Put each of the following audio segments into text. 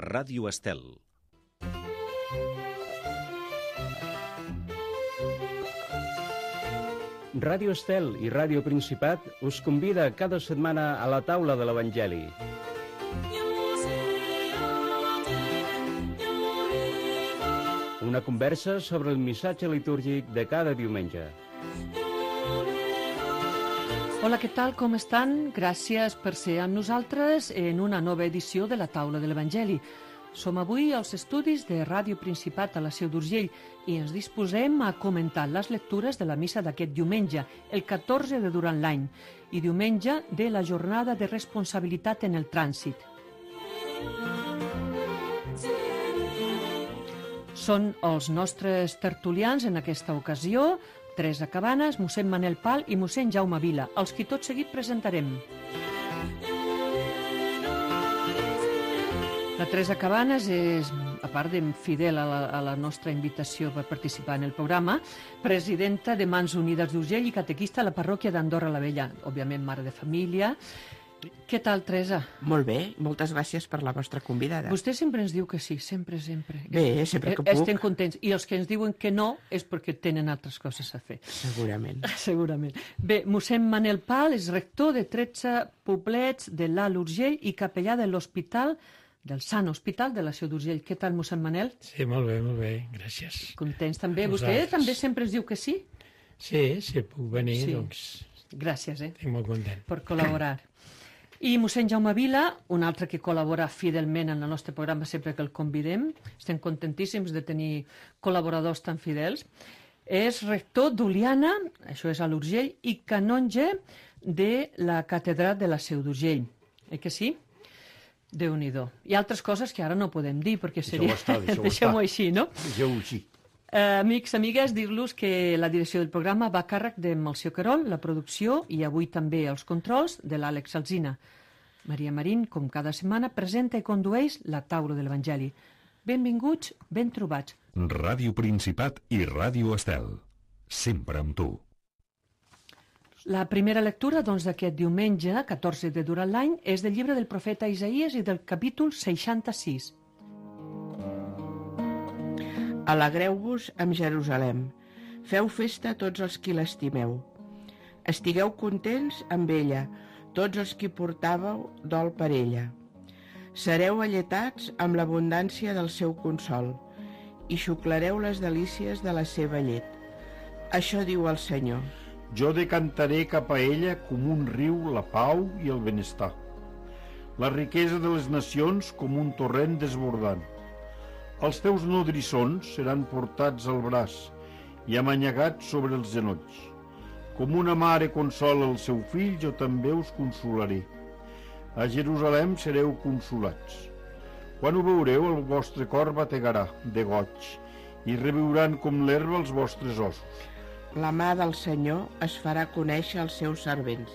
Ràdio Estel. Ràdio Estel i Ràdio Principat us convida cada setmana a la taula de l'Evangeli. Una conversa sobre el missatge litúrgic de cada diumenge. Hola, què tal? Com estan? Gràcies per ser amb nosaltres en una nova edició de la taula de l'Evangeli. Som avui als estudis de Ràdio Principat a la Seu d'Urgell i ens disposem a comentar les lectures de la missa d'aquest diumenge, el 14 de durant l'any, i diumenge de la jornada de responsabilitat en el trànsit. Són els nostres tertulians en aquesta ocasió, Teresa Cabanes, mossèn Manel Pal i mossèn Jaume Vila, els qui tot seguit presentarem. La Teresa Cabanes és, a part de fidel a la nostra invitació per participar en el programa, presidenta de Mans Unides d'Urgell i catequista a la parròquia d'Andorra la Vella, òbviament mare de família. Què tal, Teresa? Molt bé, moltes gràcies per la vostra convidada. Vostè sempre ens diu que sí, sempre. Bé, sempre que puc. Estem contents. I els que ens diuen que no és perquè tenen altres coses a fer. Segurament. Segurament. Bé, mossèn Manel Pal és rector de 13 poblets de l'Alt Urgell i capellà de l'Hospital del Sant Hospital de la Seu d'Urgell. Què tal, mossèn Manel? Sí, molt bé, gràcies. Contents també. Vostè també sempre ens diu que sí? Sí, si puc venir, Sí. doncs Gràcies, estic molt content. per col·laborar. I mossèn Jaume Vila, un altre que col·labora fidelment en el nostre programa sempre que el convidem, estem contentíssims de tenir col·laboradors tan fidels, és rector d'Oliana, això és a l'Urgell, i canonge de la catedral de la Seu d'Urgell. Que sí? Déu-n'hi-do. Hi ha altres coses que ara no podem dir, perquè seria... Deixem-ho així, no? Deixeu-ho així. Amics, amigues, dir-los que la direcció del programa va a càrrec de Melcior Querol, la producció i avui també els controls de l'Àlex Alsina. Maria Marín, com cada setmana, presenta i condueix la taula de l'Evangeli. Benvinguts, ben trobats. Ràdio Principat i Ràdio Estel. Sempre amb tu. La primera lectura, doncs, d'aquest diumenge, 14 de durant l'any, és del llibre del profeta Isaïes i del capítol 66. Alegreu-vos amb Jerusalem. Feu festa tots els qui l'estimeu. Estigueu contents amb ella, tots els qui portàveu dol per ella. Sereu alletats amb l'abundància del seu consol i xuclareu les delícies de la seva llet. Això diu el Senyor. Jo decantaré cap a ella com un riu la pau i el benestar, la riquesa de les nacions com un torrent desbordant. Els teus nodrissons seran portats al braç i amanyagats sobre els genolls. Com una mare consola el seu fill, jo també us consolaré. A Jerusalem sereu consolats. Quan ho veureu, el vostre cor bategarà de goig i reviuran com l'herba els vostres ossos. La mà del Senyor es farà conèixer als seus servents.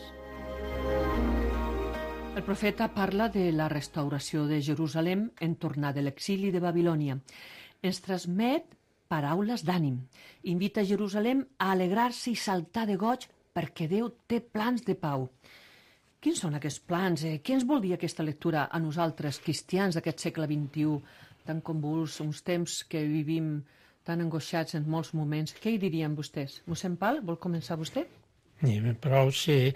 El profeta parla de la restauració de Jerusalem en tornar de l'exili de Babilònia. Ens transmet paraules d'ànim. Invita Jerusalem a alegrar-se i saltar de goig perquè Déu té plans de pau. Quins són aquests plans? Què ens vol dir aquesta lectura a nosaltres, cristians d'aquest segle XXI, tan convuls, uns temps que vivim tan angoixats en molts moments? Què hi dirien vostès? Mossèn Pal, vol començar vostè? Però sí,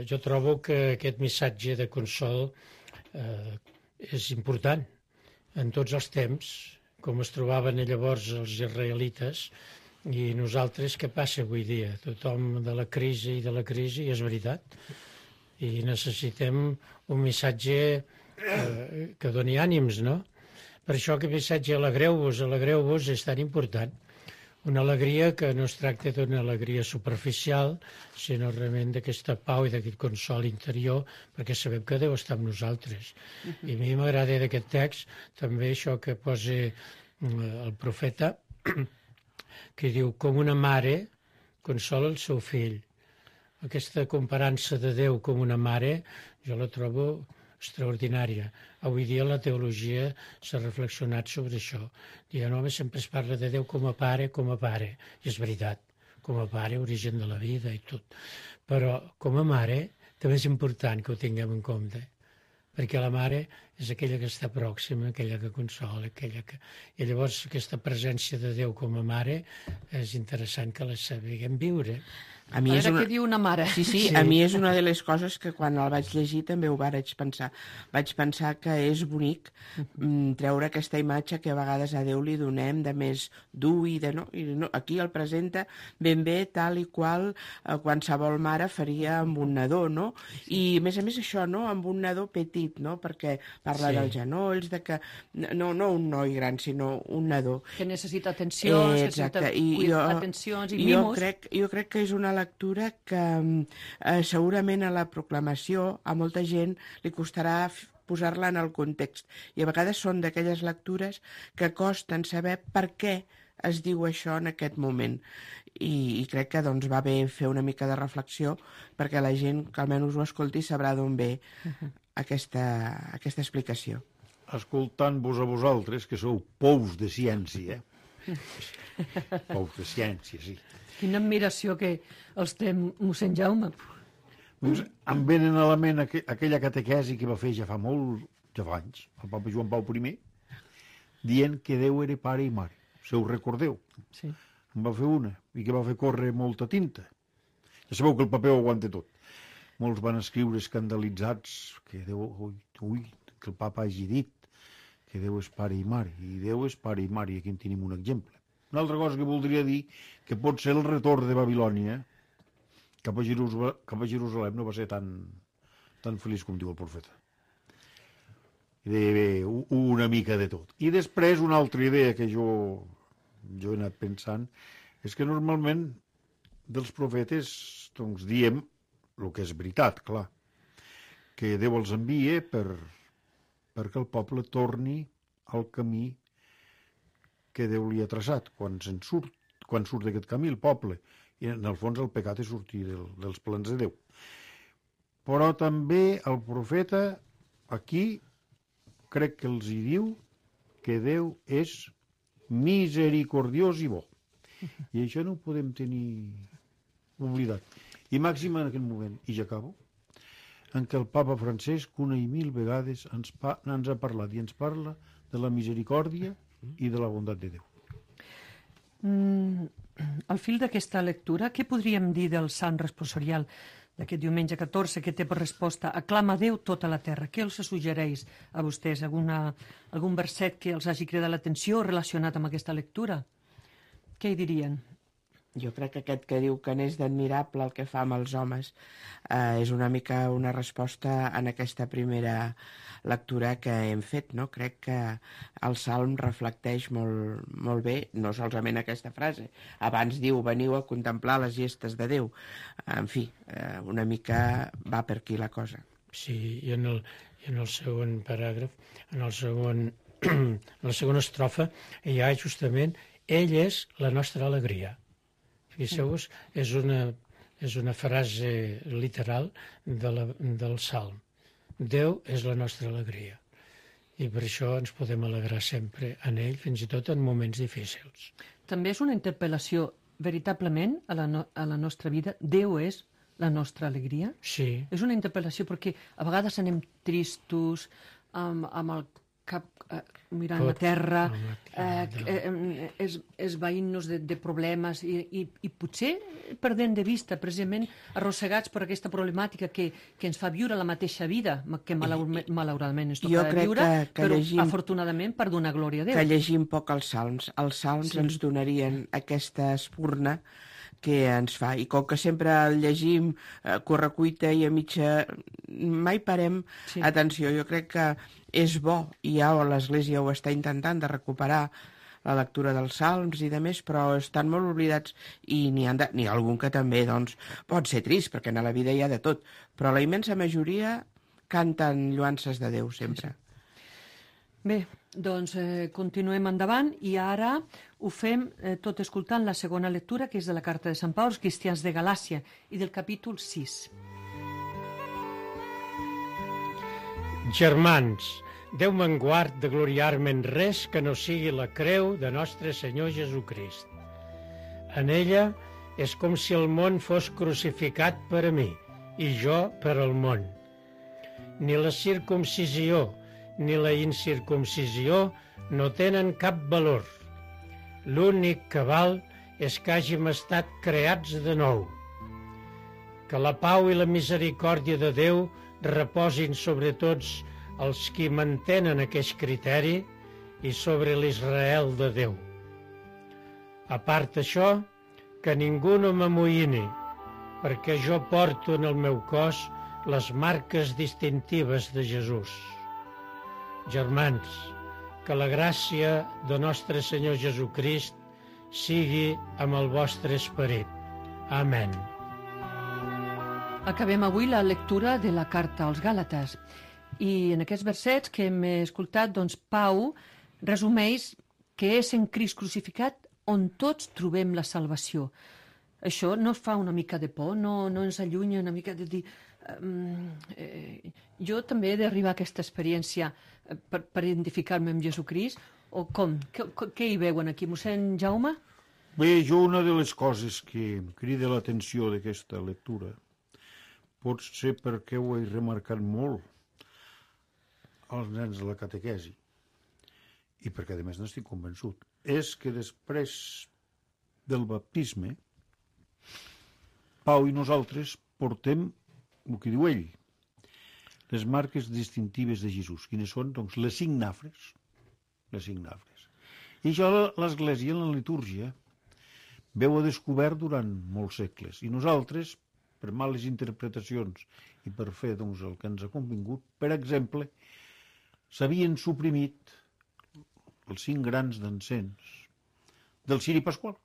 jo trobo que aquest missatge de consol és important en tots els temps, com es trobaven llavors els israelites, i nosaltres què passa avui dia? Tothom de la crisi, és veritat, i necessitem un missatge que doni ànims, no? Per això aquest missatge alegreu-vos és tan important. Una alegria que no es tracta d'una alegria superficial, sinó realment d'aquesta pau i d'aquest consol interior, perquè sabem que Déu està amb nosaltres. I a mi m'agrada d'aquest text també això que posa el profeta, que diu, com una mare consola el seu fill. Aquesta comparança de Déu com una mare, jo la trobo extraordinària. Avui dia la teologia s'ha reflexionat sobre això. Diuen, home, sempre es parla de Déu com a pare. I és veritat, com a pare, origen de la vida i tot. Però com a mare també és important que ho tinguem en compte, perquè la mare és aquella que està pròxima, aquella que consola, aquella que... I llavors aquesta presència de Déu com a mare és interessant que la sapiguem viure. A mi A veure què diu una mare. Sí, a mi és una de les coses que quan el vaig llegir també ho vaig pensar. Vaig pensar que és bonic treure aquesta imatge que a vegades a Déu li donem de més dur i de no. I no, aquí el presenta ben bé tal i qual qualsevol mare faria amb un nadó, no? I a més això, no? Amb un nadó petit, no? Perquè parla dels genolls, de que no un noi gran, sinó un nadó. Que necessita atencions, atencions i mimos. Jo crec que és una lectura que segurament a la proclamació a molta gent li costarà posar-la en el context. I a vegades són d'aquelles lectures que costen saber per què es diu això en aquest moment. I crec que doncs, va bé fer una mica de reflexió perquè la gent que almenys ho escolti sabrà d'on ve aquesta explicació. Escoltant-vos a vosaltres, que sou pous de ciència, pous de ciència, sí. Quina admiració que els té mossèn Jaume. Doncs em venen a la ment aquella catequesi que va fer ja fa anys, el papa Joan Pau I, dient que Déu era pare i mare. Si ho recordeu? Sí. En va fer una, i que va fer córrer molta tinta. Ja sabeu que el paper ho aguanta tot. Molts van escriure escandalitzats que Déu, que el papa hagi dit que Déu és pare i mare, i Déu és pare i mare, i aquí en tenim un exemple. Una altra cosa que voldria dir, que pot ser el retorn de Babilònia cap a Jerusalem no va ser tan feliç com diu el profeta. I deia una mica de tot. I després una altra idea que jo he anat pensant és que normalment dels profetes doncs, diem el que és veritat, clar, que Déu els envia perquè el poble torni al camí que Déu li ha traçat quan surt d'aquest camí el poble, i en el fons el pecat és sortir dels plans de Déu. Però també el profeta aquí crec que els hi diu que Déu és misericordiós i bo. I això no ho podem tenir oblidat. I màxim en aquest moment, i ja acabo, en què el papa Francesc una i mil vegades ens ha parlat i ens parla de la misericòrdia i de la bondat de Déu. Al fil d'aquesta lectura, què podríem dir del sant responsorial d'aquest diumenge 14 que té per resposta aclama Déu tota la terra? Què els suggereix a vostès? Algun verset que els hagi cridat l'atenció relacionat amb aquesta lectura? Què hi dirien? Jo crec que aquest que diu que n'és d'admirable el que fa amb els homes és una mica una resposta en aquesta primera lectura que hem fet, no? Crec que el Salm reflecteix molt bé, no solament aquesta frase. Abans diu, veniu a contemplar les gestes de Déu. En fi, una mica va per aquí la cosa. Sí, i en el segon paràgraf, en la segona estrofa, hi ha justament ell és la nostra alegria. Fixeu-vos, és una frase literal del Salm. Déu és la nostra alegria. I per això ens podem alegrar sempre en ell, fins i tot en moments difícils. També és una interpel·lació, veritablement, a la nostra vida. Déu és la nostra alegria? Sí. És una interpel·lació perquè a vegades anem tristos, amb el cap mirant la terra, esvaint-nos de problemes i potser perdent de vista, precisament arrossegats per aquesta problemàtica que ens fa viure la mateixa vida que malauradament ens toca viure, però afortunadament per donar glòria a Déu. Que llegim poc els salms. Els salms ens donarien aquesta espurna que ens fa. I com que sempre el llegim correcuita i a mitja... mai parem atenció. Jo crec que és bo, i ja l'Església ho està intentant de recuperar la lectura dels salms i de més, però estan molt oblidats i n'hi ha algun que també doncs, pot ser trist, perquè a la vida hi ha de tot, però la immensa majoria canten lloances de Déu sempre. Bé, doncs continuem endavant i ara ho fem tot escoltant la segona lectura, que és de la carta de Sant Pau als cristians de Galàcia i del capítol 6. Germans, Déu me'n guard de gloriar-me en res que no sigui la creu de nostre Senyor Jesucrist. En ella és com si el món fos crucificat per a mi i jo per al món. Ni la circumcisió, ni la incircumcisió no tenen cap valor. L'únic que val és que hàgim estat creats de nou. Que la pau i la misericòrdia de Déu reposin sobre tots els qui mantenen aquest criteri i sobre l'Israel de Déu. A part això, que ningú no m'amoïni, perquè jo porto en el meu cos les marques distintives de Jesús. Germans, que la gràcia de nostre Senyor Jesucrist sigui amb el vostre esperit. Amén. Acabem avui la lectura de la carta als Gàlates i en aquests versets que hem escoltat, doncs Pau resumeix que és en Crist crucificat on tots trobem la salvació. Això no fa una mica de por, no ens allunya una mica de dir... jo també he d'arribar a aquesta experiència per identificar-me amb Jesucrist, o com? Què hi veuen aquí, mossèn Jaume? Bé, jo una de les coses que em crida l'atenció d'aquesta lectura pot ser perquè ho he remarcat molt als nens de la catequesi i perquè a més n'estic convençut, és que després del baptisme Pau i nosaltres portem el que diu ell, les marques distintives de Jesús. Quines són? Doncs les 5 nafres. Les 5 nafres. I això l'Església, en la litúrgia, veu a descobert durant molts segles. I nosaltres, per males interpretacions i per fer doncs, el que ens ha convingut, per exemple, s'havien suprimit els 5 grans d'encens del ciri pasqual.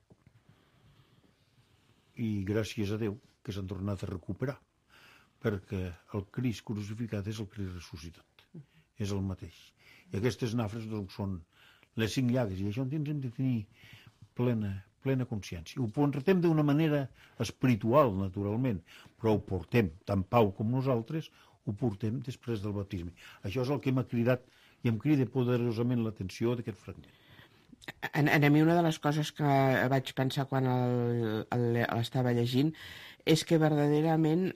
I gràcies a Déu que s'han tornat a recuperar, perquè el Crist crucificat és el Crist ressuscitat, és el mateix. I aquestes nafres doncs, són les 5 llagues, i això en tindrem de tenir plena consciència. Ho portem d'una manera espiritual, naturalment, però ho portem, tant Pau com nosaltres, ho portem després del baptisme. Això és el que m'ha cridat i em crida poderosament l'atenció d'aquest fragment. A mi una de les coses que vaig pensar quan l'estava llegint és que verdaderament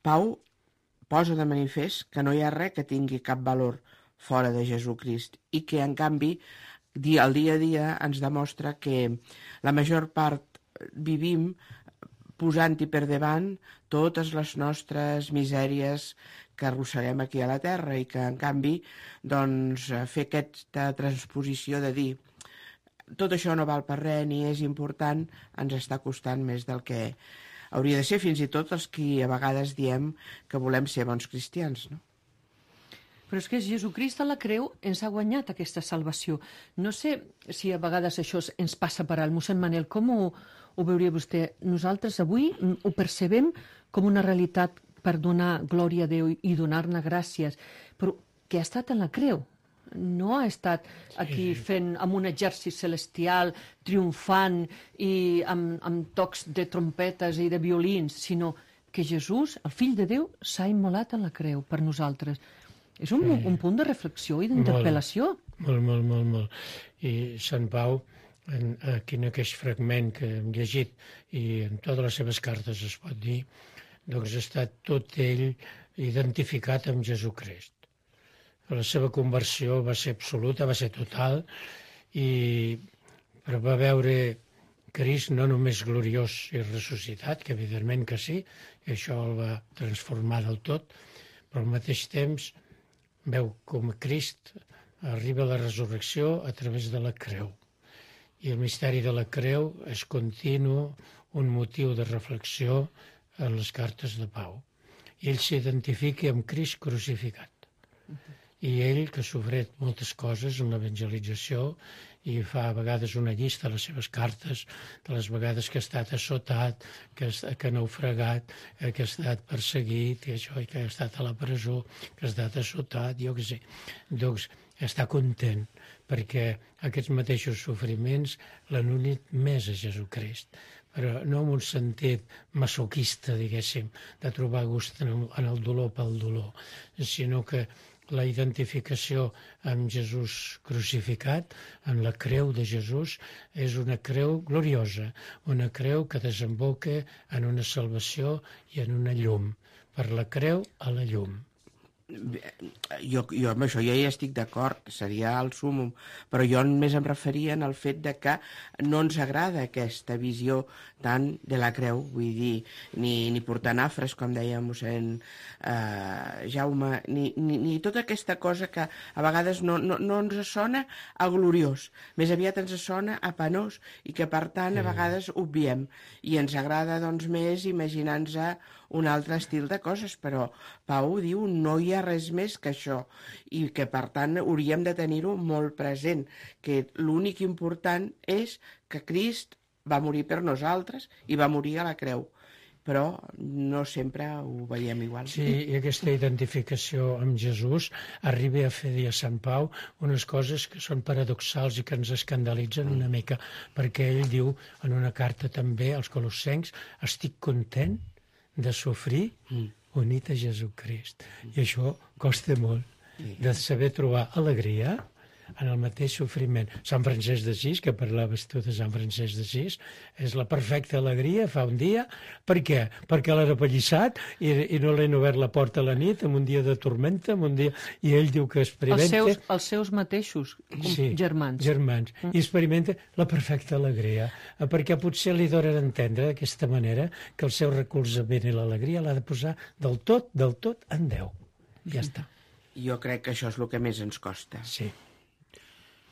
Pau posa de manifest que no hi ha res que tingui cap valor fora de Jesucrist i que, en canvi, el dia a dia ens demostra que la major part vivim posant-hi per davant totes les nostres misèries que arrosseguem aquí a la Terra i que, en canvi, doncs, fer aquesta transposició de dir tot això no val per res ni és important ens està costant més del que hauria de ser, fins i tot els qui a vegades diem que volem ser bons cristians, no? Però és que Jesucrist a la creu ens ha guanyat aquesta salvació. No sé si a vegades això ens passa per alt. Mossèn Manel, com ho veuria vostè? Nosaltres avui ho percebem com una realitat per donar glòria a Déu i donar-ne gràcies, però que ha estat en la creu. No ha estat aquí fent amb un exèrcit celestial, triomfant i amb tocs de trompetes i de violins, sinó que Jesús, el fill de Déu, s'ha immolat en la creu per nosaltres. És un punt de reflexió i d'interpel·lació. Molt. I Sant Pau, aquí en aquest fragment que hem llegit, i en totes les seves cartes es pot dir, doncs ha estat tot ell identificat amb Jesucrist. La seva conversió va ser absoluta, va ser total, però va veure Crist no només gloriós i ressuscitat, que evidentment que sí, i això el va transformar del tot, però al mateix temps veu com Crist arriba a la resurrecció a través de la creu. I el misteri de la creu és continu, un motiu de reflexió en les cartes de Pau. I ell s'identifica amb Crist crucificat. I ell, que ha sofert moltes coses en l'evangelització i fa a vegades una llista a les seves cartes de les vegades que ha estat assotat, que ha naufragat, que ha estat perseguit, que ha estat a la presó, que ha estat assotat, jo què sé. Doncs està content perquè aquests mateixos sofriments l'han unit més a Jesucrist, però no en un sentit masoquista, diguéssim, de trobar gust en el dolor pel dolor, sinó que la identificació amb Jesús crucificat, en la creu de Jesús, és una creu gloriosa, una creu que desemboca en una salvació i en una llum, per la creu a la llum. Jo amb això ja hi estic d'acord, seria el súmum, però jo més em referia al fet de que no ens agrada aquesta visió tant de la creu, vull dir, ni portar nafres, com deia mossèn Jaume, ni tota aquesta cosa que a vegades no ens sona a gloriós, més aviat ens sona a penós i que per tant a vegades obviem i ens agrada doncs més imaginar-nos un altre estil de coses, però Pau diu no hi ha res més que això i que per tant hauríem de tenir-ho molt present, que l'únic important és que Crist va morir per nosaltres i va morir a la creu, però no sempre ho veiem igual. Sí, i aquesta identificació amb Jesús arriba a fer dir a Sant Pau unes coses que són paradoxals i que ens escandalitzen una mica, perquè ell diu en una carta també als colossencs: estic content de sofrir unit a Jesucrist. I això costa molt, de saber trobar alegria en el mateix sofriment. Sant Francesc d'Assís, que parlaves tu de Sant Francesc d'Assís, és la perfecta alegria, fa un dia. Per què? Perquè l'ha repallissat i no l'han obert la porta a la nit, en un dia de tormenta, en un dia... I ell diu que experimenta... Els seus mateixos, germans. Germans. I experimenta la perfecta alegria, perquè potser li donen a entendre d'aquesta manera que el seu recolzament i l'alegria l'ha de posar del tot en Déu. Ja està. Jo crec que això és el que més ens costa. Sí.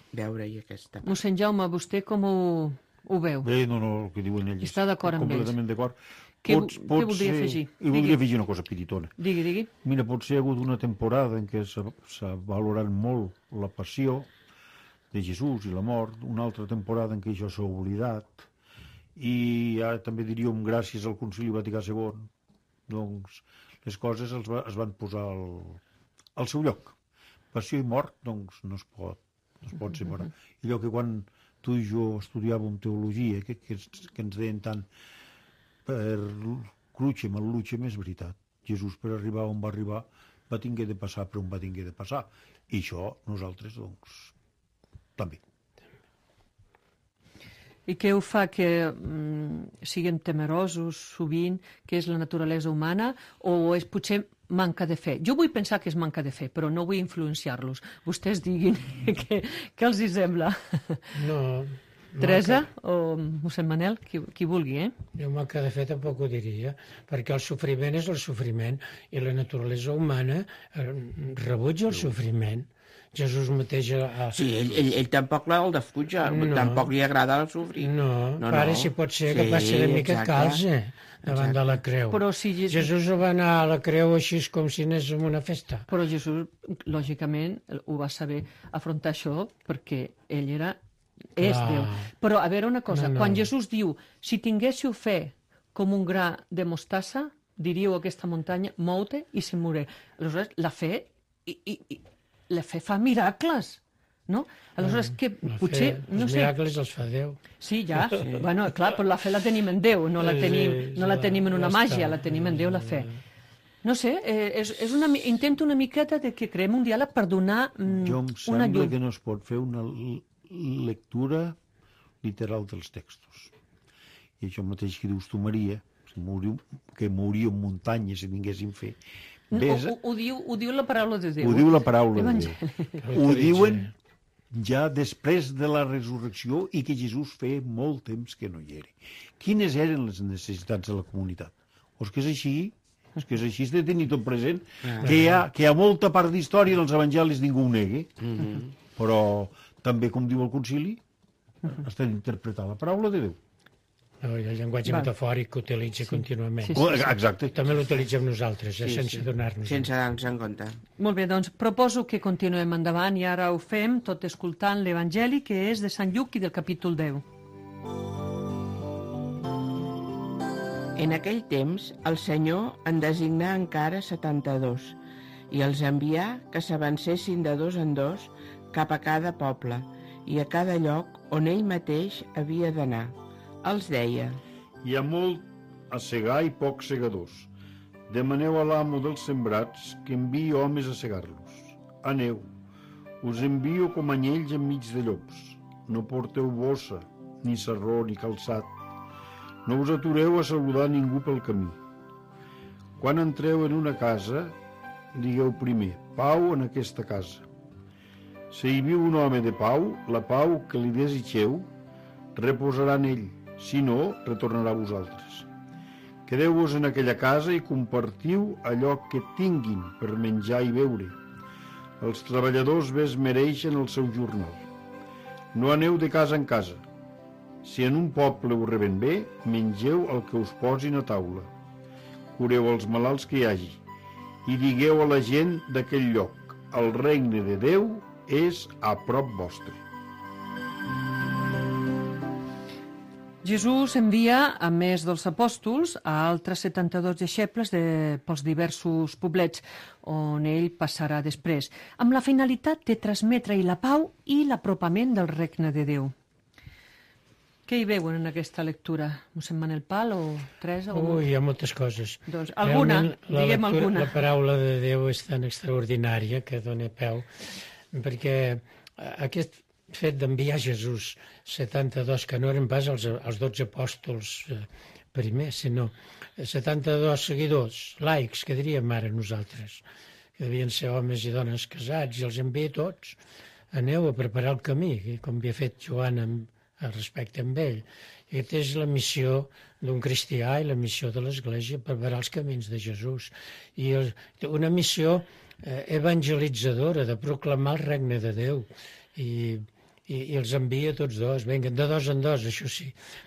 Veure-hi aquesta... Mossèn Jaume, vostè com ho veu? Bé, no, el que diuen ells. Està d'acord amb ells. Completament d'acord. Què voldria afegir? I voldria afegir una cosa petitona. Digui. Mira, potser hi ha hagut una temporada en què s'ha valorat molt la passió de Jesús i la mort, una altra temporada en què això s'ha oblidat, i ara també diríem gràcies al Concili Vaticà II, doncs les coses es van posar al seu lloc. Passió i mort, doncs, no es pot separar. I allò que quan tu i jo estudiàvem teologia, que ens deien tant per crucem, el lucem, és veritat. Jesús, per arribar on va arribar, va tinguer de passar per on va tinguer de passar. I això nosaltres, doncs, també. I què ho fa que siguem temerosos sovint, que és la naturalesa humana, o és potser manca de fe? Jo vull pensar que és manca de fe, però no vull influenciar-los. Vostès diguin què els hi sembla. No. Teresa o mossèn Manel, qui vulgui, Jo manca de fe tampoc ho diria, perquè el sofriment és el sofriment i la naturalesa humana rebutja el sofriment. Jesús mateix... Sí, ell tampoc el defuja, tampoc li agrada el sofrir. No, pare, si pot ser que passi una mica calze davant de la creu. Però si Jesús va anar a la creu així com si anés a una festa. Però Jesús, lògicament, ho va saber afrontar això perquè ell és Déu. Però, a veure una cosa, quan Jesús diu, si tinguéssiu fe com un gra de mostassa, diríeu a aquesta muntanya, mou-te i se mouré. Aleshores, la fe fa miracles, no? Aleshores, que potser... Els miracles els fa Déu. Sí, ja. Bueno, clar, però la fe la tenim en Déu, no la tenim en una màgia, la tenim en Déu, la fe. No sé, intento una miqueta de que creem un diàleg per donar una llum. Jo em sembla que no es pot fer una lectura literal dels textos. I això mateix que dius tu, Maria, que mouríem muntanyes si tinguéssim fe. Ho diu la paraula de Déu. Ho diu la paraula de Déu. Ho diuen ja després de la resurrecció i que Jesús feia molt temps que no hi era. Quines eren les necessitats de la comunitat? És que és així, has de tenir tot present, que hi ha molta part d'història dels evangelis, ningú ho negui, però també, com diu el concili, has d'interpretar la paraula de Déu. El llenguatge metafòric que utilitza contínuament. Exacte. També l'utilitzem nosaltres, sense donar-nos. Sense donar-nos en compte. Molt bé, doncs proposo que continuem endavant i ara ho fem tot escoltant l'Evangeli, que és de Sant Lluc i del capítol 10. En aquell temps, el Senyor en designà encara 72 i els envià que s'avancessin de dos en dos cap a cada poble i a cada lloc on ell mateix havia d'anar. Els deia: hi ha molt a segar i pocs segadors. Demaneu a l'amo dels sembrats que enviï homes a segar-los. Aneu, us envio com anyells enmig de llops. No porteu bossa, ni sarró, ni calçat. No us atureu a saludar ningú pel camí. Quan entreu en una casa, digueu primer, pau en aquesta casa. Si hi viu un home de pau, la pau que li desitgeu reposarà en ell, si no, retornarà a vosaltres. Quedeu-vos en aquella casa i compartiu allò que tinguin per menjar i beure. Els treballadors bé es mereixen el seu jornal. No aneu de casa en casa. Si en un poble us reben bé, mengeu el que us posin a taula. Cureu els malalts que hi hagi i digueu a la gent d'aquell lloc: el regne de Déu és a prop vostre. Jesús envia, a més dels apòstols, a altres 72 deixebles pels diversos poblets on ell passarà després, amb la finalitat de transmetre-hi la pau i l'apropament del regne de Déu. Què hi veuen en aquesta lectura? Mossèn Manel Pal o Teresa? Hi ha moltes coses. Doncs alguna, diguem alguna. La paraula de Déu és tan extraordinària que dona peu, perquè aquest fet d'enviar Jesús 72, que no eren pas els 12 apòstols primers, sinó 72 seguidors, laics, que diríem ara nosaltres, que devien ser homes i dones casats, i els envia tots. Aneu a preparar el camí, com havia fet Joan respecte amb ell. I aquesta és la missió d'un cristià i la missió de l'Església, preparar els camins de Jesús. I una missió evangelitzadora, de proclamar el regne de Déu. I els envia tots dos, venguen de dos en dos, això sí,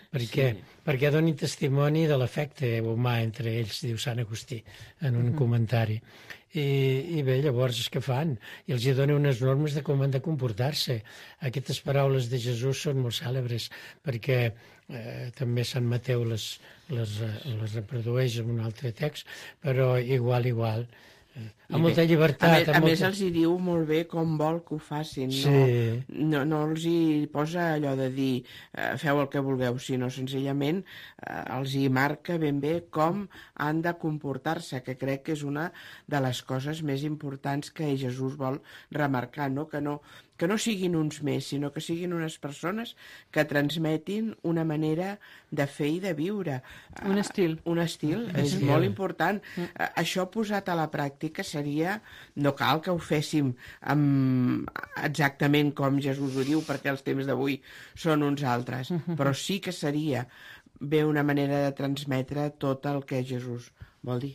perquè donin testimoni de l'afecte humà entre ells, diu Sant Agustí en un comentari. I bé, llavors què fan? I els dona unes normes de com han de comportar-se. Aquestes paraules de Jesús són molt cèlebres, perquè també Sant Mateu les reprodueix en un altre text, però igual. Amb molta llibertat. A més els hi diu molt bé com vol que ho facin. Sí. No els hi posa allò de dir feu el que vulgueu, sinó senzillament els hi marca ben bé com han de comportar-se, que crec que és una de les coses més importants que Jesús vol remarcar, no? Que no siguin uns més, sinó que siguin unes persones que transmetin una manera de fer i de viure. Un estil. És molt important. Això posat a la pràctica seria... No cal que ho féssim exactament com Jesús ho diu, perquè els temps d'avui són uns altres, però sí que seria bé una manera de transmetre tot el que Jesús vol dir.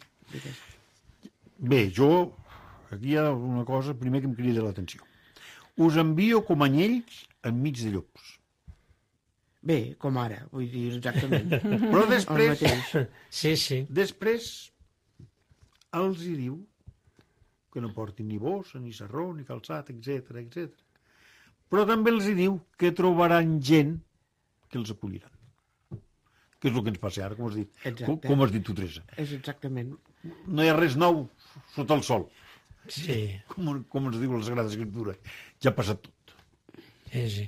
Bé, aquí hi ha una cosa primer que em crida l'atenció. Us envio com anyells enmig de llops. Bé, com ara, vull dir exactament. Però després... Sí. Després els hi diu que no portin ni bossa, ni sarró, ni calçat, etc. Però també els hi diu que trobaran gent que els acolliran. Que és el que ens passa ara, com has dit. Com has dit tu, Teresa. És exactament. No hi ha res nou sota el sol. Sí. Com ens diu la Sagrada Escriptura. Ja ha passat tot. Sí.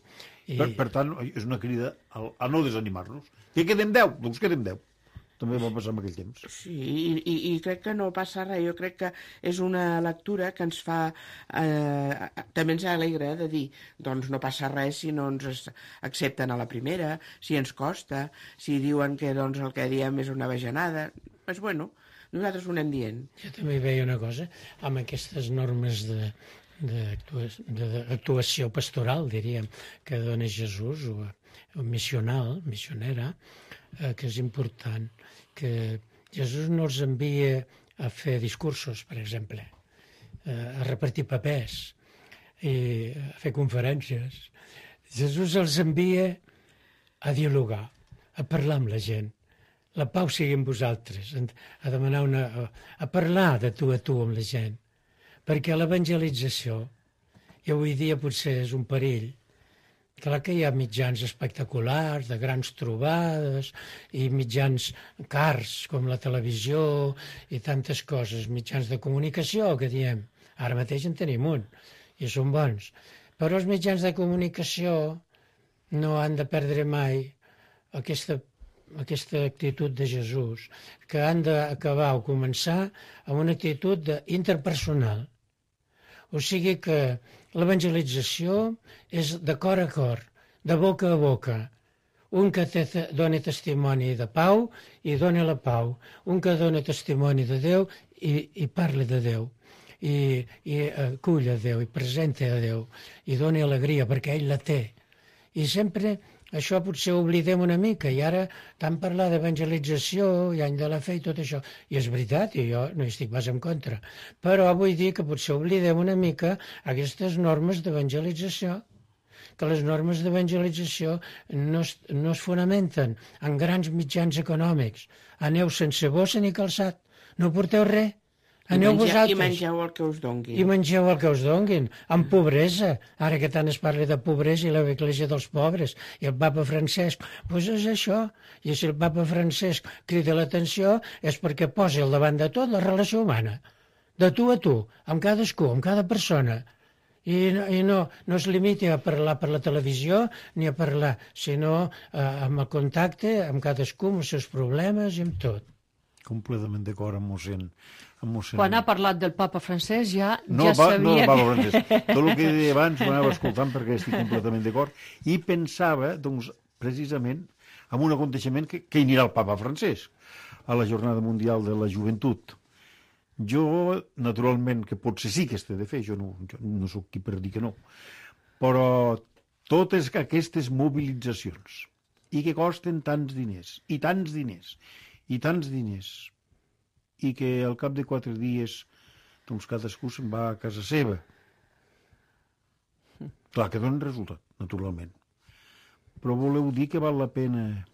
Per tant, és una crida a no desanimar-nos. Que quedem 10? Doncs quedem 10. També va passar en aquell temps. Sí, i crec que no passa res. Jo crec que és una lectura que ens fa... també ens alegra de dir, doncs no passa res si no ens accepten a la primera, si ens costa, si diuen que doncs, el que diem és una bajanada. Doncs bueno, nosaltres ho anem dient. Jo també hi veia una cosa, amb aquestes normes d'actuació pastoral, diríem, que dona Jesús, o missionera, que és important, que Jesús no els envia a fer discursos, per exemple, a repartir papers i a fer conferències. Jesús els envia a dialogar, a parlar amb la gent. La pau sigui amb vosaltres, a demanar a parlar de tu a tu amb la gent. Perquè l'evangelització, i avui dia potser és un perill. Clar que hi ha mitjans espectaculars, de grans trobades, i mitjans cars, com la televisió, i tantes coses, mitjans de comunicació, que diem. Ara mateix en tenim un, i són bons. Però els mitjans de comunicació no han de perdre mai aquesta actitud de Jesús, que han d'acabar o començar amb una actitud interpersonal. O sigui que l'evangelització és de cor a cor, de boca a boca. Un que dona testimoni de pau i dona la pau. Un que dona testimoni de Déu i parla de Déu. acull a Déu, i presenta a Déu, i doni alegria, perquè ell la té. I sempre això potser ho oblidem una mica, i ara tant parlar d'evangelització i any de la fe i tot això, i és veritat, i jo no hi estic pas en contra, però vull dir que potser oblidem una mica aquestes normes d'evangelització, que les normes d'evangelització no es fonamenten en grans mitjans econòmics. Aneu sense bossa ni calçat, no porteu res. Aneu vosaltres. I mengeu el que us donguin. I mengeu el que us donguin, amb pobresa. Ara que tant es parla de pobresa i l'església dels pobres, i el papa Francesc, doncs és això. I si el papa Francesc crida l'atenció és perquè posa al davant de tot la relació humana, de tu a tu, amb cadascú, amb cada persona. I no es limiti a parlar per la televisió ni a parlar, sinó amb el contacte amb cadascú, amb els seus problemes i amb tot. Completament d'acord amb mossèn. Quan ha parlat del papa Francesc ja sabia No, papa Francesc. Tot el que deia abans ho anava escoltant perquè estic completament d'acord. I pensava, doncs, precisament, en un aconteixement que hi anirà el papa Francesc a la Jornada Mundial de la Joventut. Jo, naturalment, que potser sí que es té de fer, jo no sóc qui per dir que no, però totes aquestes mobilitzacions i que costen tants diners, i tants diners, i tants diners, i que al cap de 4 dies doncs cadascú se'n va a casa seva. Clar que dona resultat, naturalment. Però voleu dir que val la pena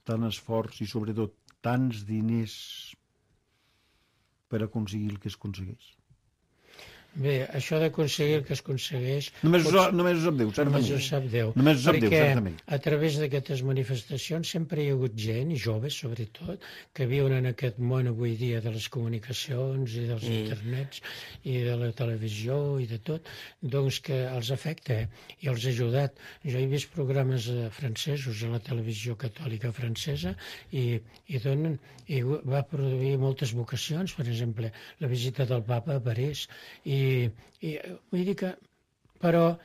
tant esforç i sobretot tants diners per aconseguir el que es aconsegueix? Bé, això d'aconseguir el que es aconsegueix... Només ho sap Déu, certament. Només ho sap Déu. Només ho sap Déu, certament. Perquè a través d'aquestes manifestacions sempre hi ha hagut gent, i joves sobretot, que viuen en aquest món avui dia de les comunicacions i dels internets i de la televisió i de tot, doncs que els afecta i els ha ajudat. Jo he vist programes francesos a la televisió catòlica francesa i va produir moltes vocacions, per exemple, la visita del papa a París, i vull dir que però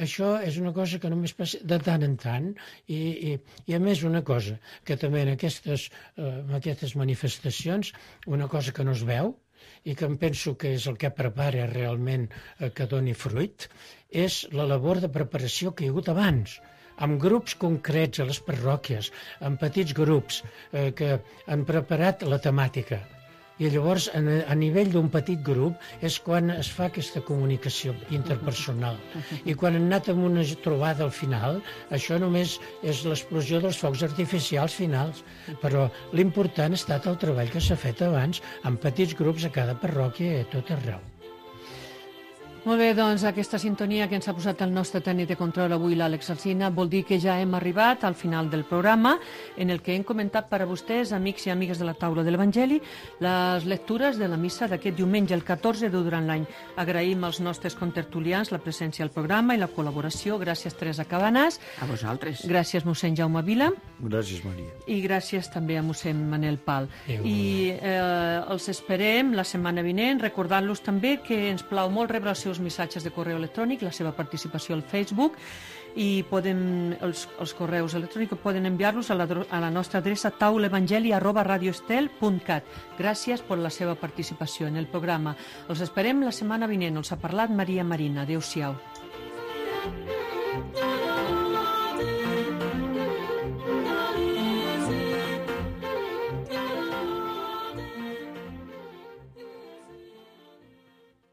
això és una cosa que només passa de tant en tant i a més una cosa que també en aquestes manifestacions una cosa que no es veu i que em penso que és el que prepara realment que doni fruit és la labor de preparació que hi ha hagut abans amb grups concrets a les parròquies, amb petits grups que han preparat la temàtica. I llavors, a nivell d'un petit grup, és quan es fa aquesta comunicació interpersonal. I quan han anat amb una trobada al final, això només és l'explosió dels focs artificials finals. Però l'important ha estat el treball que s'ha fet abans, amb petits grups a cada parròquia i a tot arreu. Molt bé, doncs aquesta sintonia que ens ha posat el nostre tècnic de control avui, l'Àlex Alsina, vol dir que ja hem arribat al final del programa en el que hem comentat per a vostès, amics i amigues de la taula de l'Evangeli, les lectures de la missa d'aquest diumenge, el 14 de durant l'any. Agraïm als nostres contertulians la presència al programa i la col·laboració. Gràcies, Teresa Cabanàs. A vosaltres. Gràcies, mossèn Jaume Vila. Gràcies, Maria. I gràcies també a mossèn Manel Pal. I els esperem la setmana vinent, recordant-los també que ens plau molt rebre els seus missatges de correu electrònic, la seva participació al Facebook i els correus electrònics poden enviar-los a la nostra adreça taulaevangeli@radioestel.cat. Gràcies per la seva participació en el programa. Els esperem la setmana vinent. Els ha parlat Maria Marina. Adéu-siau.